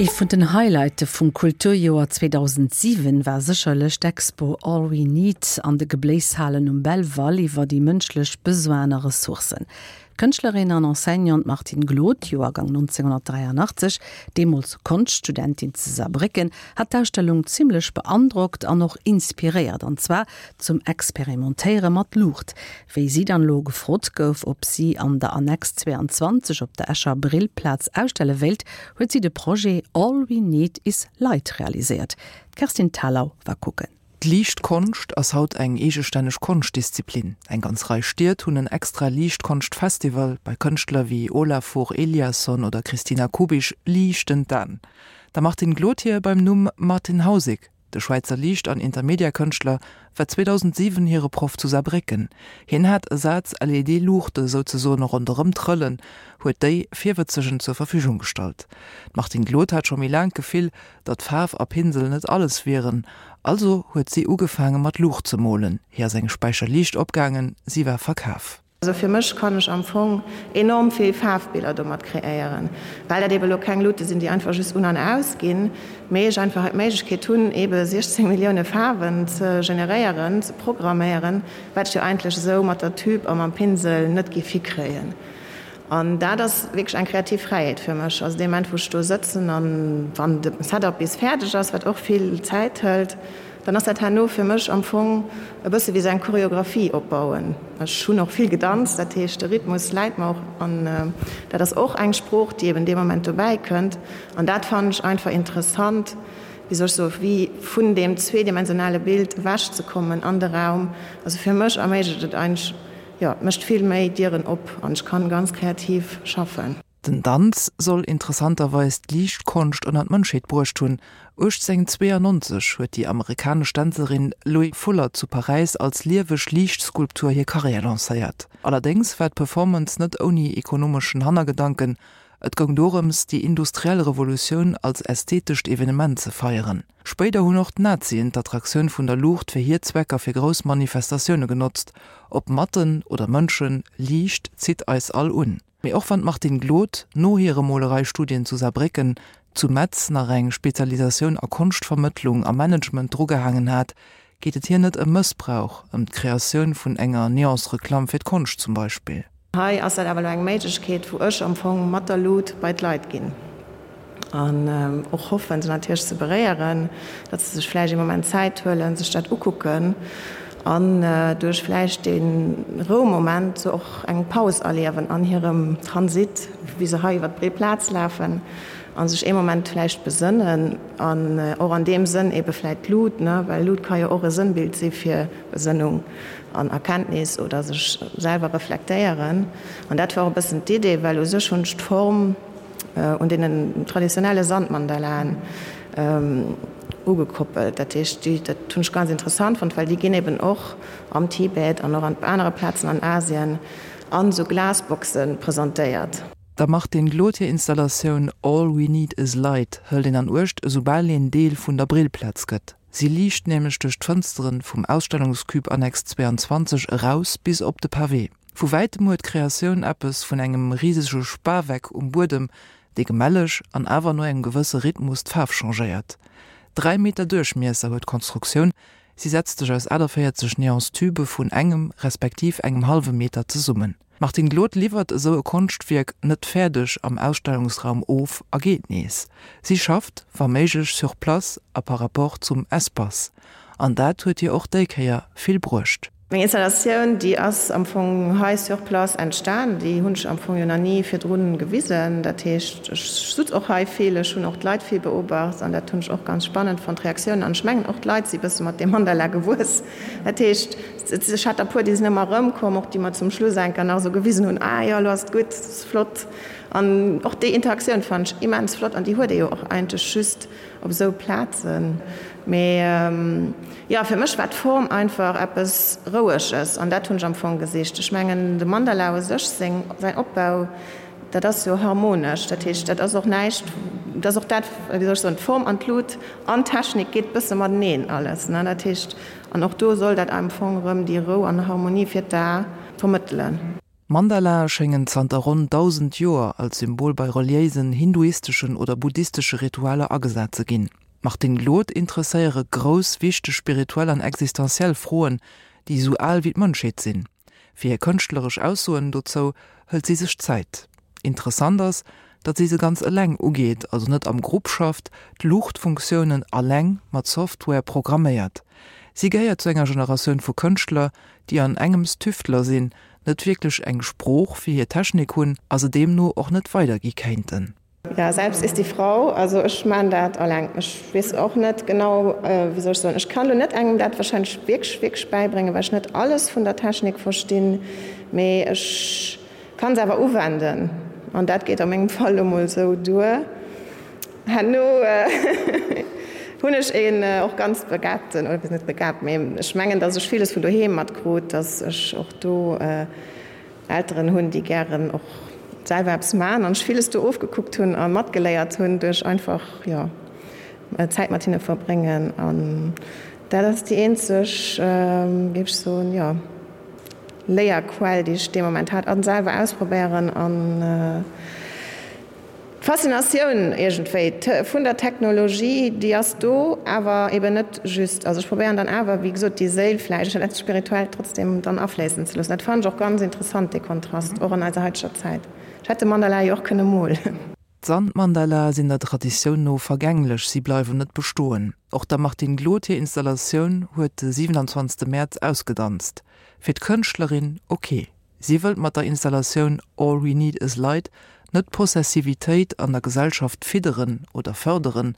Ee vun den Highlighte vum Kulturjoer 2007 war sécherlech d'Expo All We Need an de Gebléishalen um Belval iwwer déi mënschlech Besoinen a Ressourcen. D'Kënschtlerin an Enseignante Martine Glod, Joergang 1983, deemools Konschtstudentin zu Saarbrécken, hat d'Ausstellung zimmlech beandrockt an och inspiréiert, an zwar zum Experimentéiere mat Luucht. Wéi si dann elo gefrot gouf, ob si an der Annex 22 op der Escher Brillplaz ausstelle wéilt, huet si de Projet All We Need Is Light realiséiert. D'Kerstin Thalau war kucken. D'Liichtkonscht ass haut eng eegestänneg Konschtdisziplin. Eng ganz Rei Stied hunn en extra Liichtkonschtfestival. Bei Kënschtler wéi Olafur Eliasson oder Christina Kubisch liichten d'Aen. Der Martine Glothier beim Numm Martin Hausig. De Schwäizer Liicht an Intermedia-Kënschtler war 2007 hire Proff zu Saarbrécken. Hien hat e Saz LED-Luuchte souzesoen ronderëm trëllen, huet déi Virwëtzegen zur Verfügung gestallt. D'Martine Glod hat scho méi laang d'Gefill, datt Faarf a Pinsel net alles wieren, also huet si ugefaange mat Luucht ze molen. Hir ass eng Späicher Liicht opgaangen, si war verkaf. Also fir mech kann ech am Fong enorm vill Faarfbiller domat kreéieren, well dat ebe lo keng Luute sinn, déi einfach just un an aus ginn, mee ech einfach hei d'Méiglechkeet hunn, ebe 16 Millioune Faarwen ze generéieren, ze programméieren, wat ech jo eigentlech esou mat der Tube a mam Pinsel net géif hikréien. An dat ass wierklech eng kreativ Fräiheet fir mech. Also dee Moment, wou ech do sëtzen an wann de Setup bis fäerdeg ass, wat och vill Zäit hëlt, dann ass dat herno fir mech am Fong e bësse wéi esou eng Choreographie opbauen. Ech hunn och vill gedanzt, dat heescht de Rhythmus läit mer och an dat ass och eng Sprooch, déi eben dee Moment dobäi kënnt. An dat fannen ech einfach interessant, wéi soll ech soen, wéi vun deem zweedimensionale Bild ewechzekommen an de Raum. Also fir mech erméiglecht et eigentlech, Jo, et mécht vill méi Dieren op an ech kann ganz kreativ schaffen. Den Danz soll interessanterweis d'Liichtkonscht ënner d'Mënschheet bruecht hunn. 1892 huet déi amerikanesch Dänzerin Loie Fuller zu Paräis als lieweg Liichtskulptur hir Karriär lancéiert. Allerdéngs war d'Performance net ouni ekonomeschen Hannergedanken, Et goung dorëms, déi industriell Revolutioun als ästhetescht Evenement ze feieren. Spéider hunn och d'Nazien d'Attraktioun vun der Luucht fir hir Zwecker fir grouss Manifestatioune genotzt. Ob Matten oder Mënschen, Liicht zitt eis all un. Mee och wann d'Martine Glod no hire Molereistudien zu Saarbrécken, zu Metz nach eng Spezialisatioun a Konschtvermëttlung a Management drugehaangen hat, geet et hir net ëm Mëssbrauch, ëm d'Kreatioun vun enger Neonsreklamm fir d'Konscht zum Beispill. Hei ass dat awer elo eng Méiglechkeet, wou ech am Fong mat der Lut bei d'Leit ginn an och hoffen, se natierlech ze beréieren, datt se sech vläicht ee Moment Zäit huelen, sech dat ukucken an duerch vläicht dee Roumoment sou och eng Paus erliewen an hirem Transit, wéi se hei iwwer d'breet Plaz lafen a sech ee Moment vläicht besënnen an och an deem Sënn eebe vläicht d'Lut, ne, well Lut ka jo och e Sënnbild si fir Besënnung an Erkenntnis oder sech selwer reflektéieren. An dat war och e bëssen d'Idee, well u sech hunn ech d'Form un deenen traditionelle Sandmandalaen ugekoppelt. Dat heescht, déi, dat hunn ech ganz interessant fonnt, well déi ginn eben och am Tibet an och an anere Plazen an Asien an esou Glasboxe presentéiert. Der Martine Glod hir Installatioun All We Need Is Light hëlt een an Uecht, esoubal een Deel vun der Brillplaz gëtt. Si liicht nämlech duerch d'Fënsteren vum Ausstellungscube Annex 22 eraus bis op de Pavé. Vu wäitem huet d'Kreatioun eppes vun engem risege Spaweck um Buedem, dee gemälleg an awer no engem gewësse Rhythmus d'Faarf changéiert. 3 Meter Duerchmiesser huet d'Konstruktioun, si setzt sech aus 48 Neonstübe vun engem respektiv engem hallwe Meter zesummen. D'Martine Glod liwwert esou e Konschtwierk net fäerdeg am Ausstellungsraum of a geet nees. Si schafft, wa méiglech, sur place a par rapport zum Espace. An dat huet hir och déi Kéier vill bruecht. Meng Installatioun, déi ass am Fong hei sur place entstan. Déi hunn ech am Fong jo nach ni virdrun gewisen. Dat heescht, ech sutz och hei vill, ech hunn och d'Leit vill beobacht an dat hunn ech och ganz spannend fonnt, d'Reaktiounen. An ech mengen och d'Leit si bësse mat deem Mandala gewuess. Dat heescht, ech hat der puer, déi sinn ëmmer erëmkomm, och déi mer zum Schluss enker nach esou gewisen hunn, ah jo, elo ass et gutt, et ass flott. An och déi Interaktioun fannen ech immens flott an déi huet ee jo och eigentlech just op esou Plazen. Mee jo, fir mech war d'Form einfach eppes Roueges an dat hunn ech am Fong gesicht. Ech mengen de Mandala u sech, seng, säin Opbau, dat ass jo harmonesch. Dat heescht, dat ass och näischt, dat ass och dat, wéi soll ech soen, d'Form an d'Lut an d'Technik geet bësse mateneen alles, ne. Dat heescht, an och do soll dat am Fong erëm déi Rou an Harmonie fir d'A vermëttelen. Mandalae schéngen zanter ronn 1.000 Joer als Symbol bei reliéisen, hinduisteschen oder buddhistesche Ritualer agesat ze ginn. D'Martine Glod interesséiere grouss, wichteg spirituell an existenziell Froen, déi esou al wéi d'Mënschheet sinn. Fir hir kënschtleresch Aussoen dozou hëlt si sech Zäit. Interessant ass, datt si se ganz eleng ugeet, also net am Grupp schafft, d'Luuchtfunktiounen alleng mat Software programméiert. Si gehéiert zu enger Generatioun vu Kënschtler, déi an engems Tüftler sinn, net wierklech eng Sprooch fir hir Technik hunn a se deemno och net weidergi kéinten. Ja, selbst ist die Frau, also ech maan dat alleng. Ech weess och net genau, wéi soll ech soen, ech kann lo net engem dat wahrscheinlech wierklech, wierklech bäibréngen, well ech net alles vun der Technik verstinn, mee ech kann se awer uwenden an dat geet a mengem Fall lo mol sou duer. Herno hunn ech een och ganz begabten, oder net begabt, mee ech mengen, dass ech villes vun doheem matkrut, dass ech och do Elteren hunn, déi gären och selwer eppes maachen an ech villes do ofgekuckt hunn a matgeléiert hunn duerch einfach, jo, Zäit mat hinne verbréngen. An dat ass déi eenzeg, géif ech soen, jo, Léierquell, déi ech dee Moment hat, an selwer ausprobéieren an. D'Faszinatioun iergendwéi vun der Technologie, déi ass do, awer eben net just. Also ech probéieren dann awer, wéi gesot, déi Séil vläicht oder dat Spirituellt trotzdem dann afléissen ze loossen. Dat fannen ech och ganz interessant, dee Kontrast, och an eiser haiteger Zäit. Ech hätt de Mandala jo och kënne molen. D'Sandmandalae sinn der Traditioun no vergänglech, si bleiwen net bestoen. Och der Martine Glod hir Installatioun huet de 27 Mäerz ausgedanzt. Fir d'Kënschtlerin ok. Si wëllt mat der Installatioun All We Need Is Light net d'Possessivitéit an der Gesellschaft fidderen oder fërderen,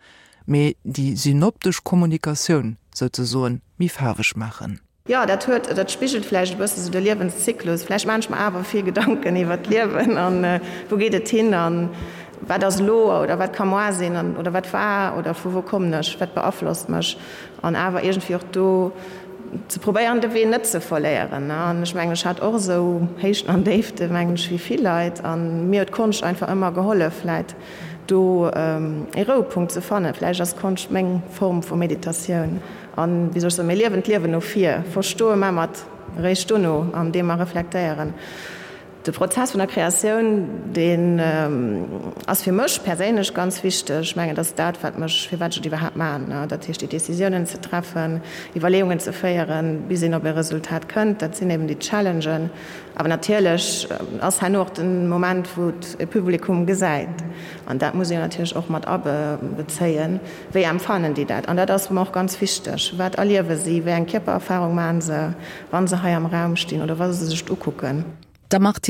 mee déi synoptesch Kommunikatioun souzesoen méi faarweg maachen. Jo, dat huet, dat spigelt vläicht e bësse sou de Liewenszyklus. Vläicht maachen ech mer awer vill Gedanken iwwert d'Liewen an wou geet et hin an wat ass elo oder wat ka moar sinn an oder wat war oder vu wou kommen ech, wat beaflosst mech. An awer iergendwéi och do ze probéieren, de Wee net ze verléieren. An ech mengen, ech hat och esou Héichten an Déifte, mengen ech, wéi vill Leit. A mir huet d'Konscht einfach ëmmer gehollef, vläit do ee Rouepunkt ze fannen. Vläicht ass Konscht meng Form vu Meditatioun. An, wéi soll ech soen, mir liewen d'Liewen no vir, verstoe mer mat eréischt dono, andeem mer reflektéieren. De Prozess vun der Kreatioun, deen ass fir mech perséinlech ganz wichteg. Ech mengen, dat ass dat, wat mech, firwat ech et iwwerhaapt maachen. Dat heescht, déi Decisiounen ze treffen, Iwwerleeungen ze féieren, bis een op e Resultat kënnt, dat sinn eben déi Challengen. Awer natierlech ass herno och de Moment, wou et e Publikum gesäit. An dat muss een natierlech och mat abezéien. Wéi empfannen déi dat? An dat ass mer och ganz wichteg. Wat erliewe si? Wéi eng Kierpererfarung maache se, wa se hei am Raum stinn oder wa se sech et ukucken? Der Martine.